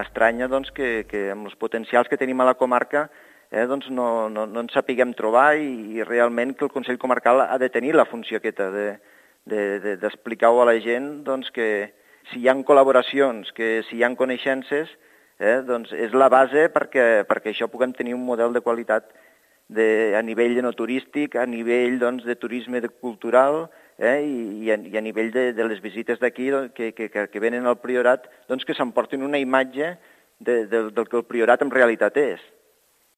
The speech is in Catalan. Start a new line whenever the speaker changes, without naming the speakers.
m'estranya doncs, que amb els potencials que tenim a la comarca doncs no ens sapiguem trobar i realment que el Consell Comarcal ha de tenir la funció aquesta d'explicar-ho a la gent doncs, que si hi ha col·laboracions, que si hi ha coneixences, doncs és la base perquè això puguem tenir un model de qualitat a nivell no turístic, a nivell doncs, de turisme cultural i a nivell de les visites d'aquí que venen al Priorat, doncs que s'emportin una imatge del que el Priorat en realitat és.